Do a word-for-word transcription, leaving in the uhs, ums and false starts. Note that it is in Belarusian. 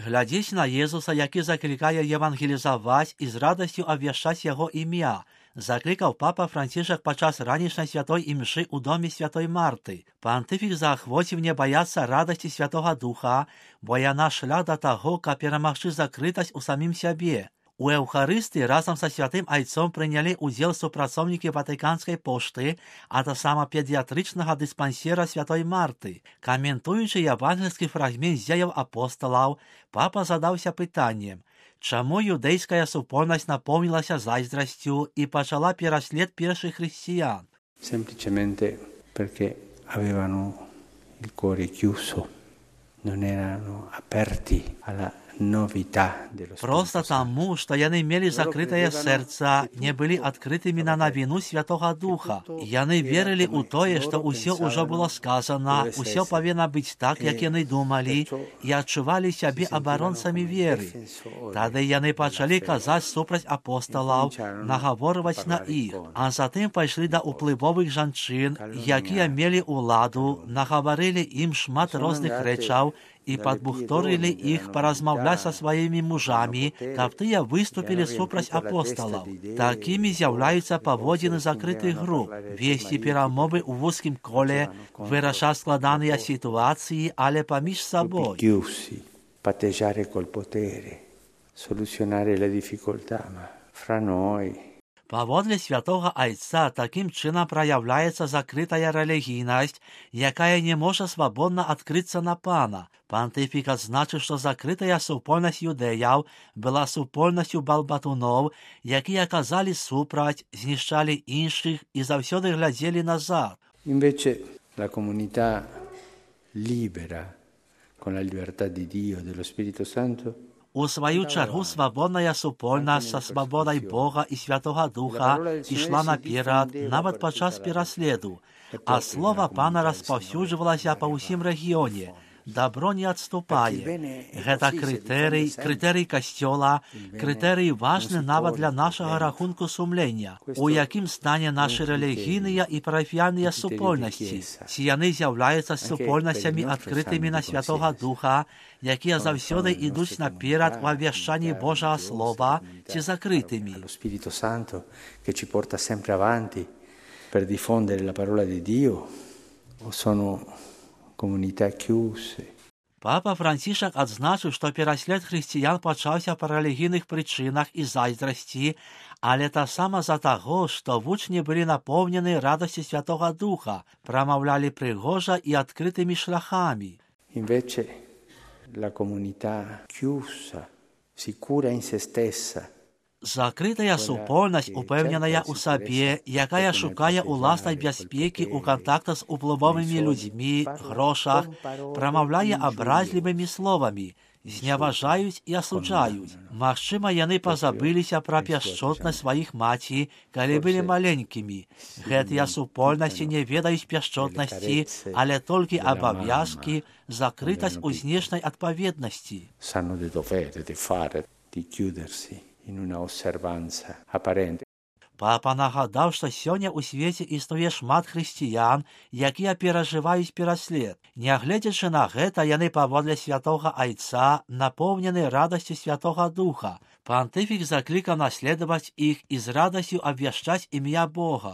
глядзіць на Езуса, які заклікае евангелізаваць і з радасцю абвяшчаць яго імя, закликав папа Францішак падчас ранішняй святой імшы у домі святой Марти. Пантифік заахвоціў не баяцца радасці Святога Духа, бо яна шлях да таго, каб перамагчы закрытасць у самім сябе. У Еўхарыстыі разам са святым айцом прынялі ўдзел супрацоўнікі ватыканскай пошты, а таксама педыятрычнага дыспансера святой Марты. Каментуючы евангельскі фрагмент дзеяў апосталаў, папа задаўся пытаннем, чаму юдэйская супольнасць напоўнілася зайздрасцю і пачала пераслед першых хрысціян? Semplicemente perché avevano il cuore chiuso, non erano aperti alla novità dello Spirito Просто таму, што яны мелі закрытае сэрца, не былі адкрытымі на навіну Святога Духа. Яны верылі ў тое, што ўсё ўжо было сказана, усё павінна быць так, як яны думалі, і адчувалі сябе абаронцамі веры. Тады яны пачалі казаць супраць апосталаў, нагаворваць на іх, а затым пайшлі да ўплывовых жанчын, якія мелі ўладу, нагаварылі ім шмат розных рэчаў, і падбухторылі іх паразмаўляць са сваімі мужамі, каб тыя выступілі супраць апосталаў. Такімі з'яўляюцца паводзіны закрытых груп, весці перамовы ў вузкім коле, вырашаць складаныя сітуацыі, але паміж сабой. Patteggiare col potere, soluzionare le difficoltà fra noi. Паводле святога айца такім чынам праяўляецца закрытая рэлігійнасць, якая не можа свабодна адкрыцца на пана. Пантыфік адзначыў, што закрытая супольнасць юдэяў была супольнасцю балбатуноў, якія казалі супраць, знішчалі іншых і заўсёды глядзелі назад. Invece la comunità libera, con la libertà di Dio, dello Spirito Santo, У сваю чаргу свабодная супольнасць са свабодай Бога і Святога Духа ішла наперад нават падчас пераследу, а слова пана распаўсюджвалася па ўсім рэгіёне. Дабро не адступае. Гэта крытэрый, крытэрый касцёла, крытэрый важны нават для нашага рахунку сумлення, у якім стане нашы рэлігійныя і парафіяльныя супольнасці. Ці яны з'яўляюцца супольнасцямі адкрытымі на Святога Духа, якія заўсёды ідуць наперад у абвяшчанні Божага Слова, ці закрытымі. Lo Spirito Santo che ci porta sempre avanti per diffondere la parola di Dio, o sono comunità chiuse. Папа Францішак адзначыў, што пераслед хрысціян пачаўся па рэлігійных прычынах і зайздрасці, але таксама за таго, што вучні былі напоўнены радасці Святога Духа, прамаўлялі прыгожа і адкрытымі шляхамі. Invece la comunità chiusa, sicura in se stessa, Закрытая супольнасць, упэўненая ў сабе, якая шукае уласнай бяспекі ў кантактах з уплывовымі людзьмі, грошах, прамаўляе абразлівымі словамі, зняважаюць і асуджаюць. Магчыма, яны пазабыліся пра пяшчотнасць сваіх маці, калі былі маленькімі. Гэтыя супольнасці не ведаюць пяшчотнасці, але толькі абавязкі, закрытасць у знешняй адпаведнасці. sanno di dovere, di fare, di chiudersi in una osservanza apparente. Папа нагадаў, што сёння ў свеце існуе шмат хрысціян, якія перажываюць пераслед. Нягледзячы на гэта, яны паводле святога айца напоўнены радасцю Святога Духа. Пантыфік заклікаў наследаваць іх і з радасцю абвяшчаць імя Бога.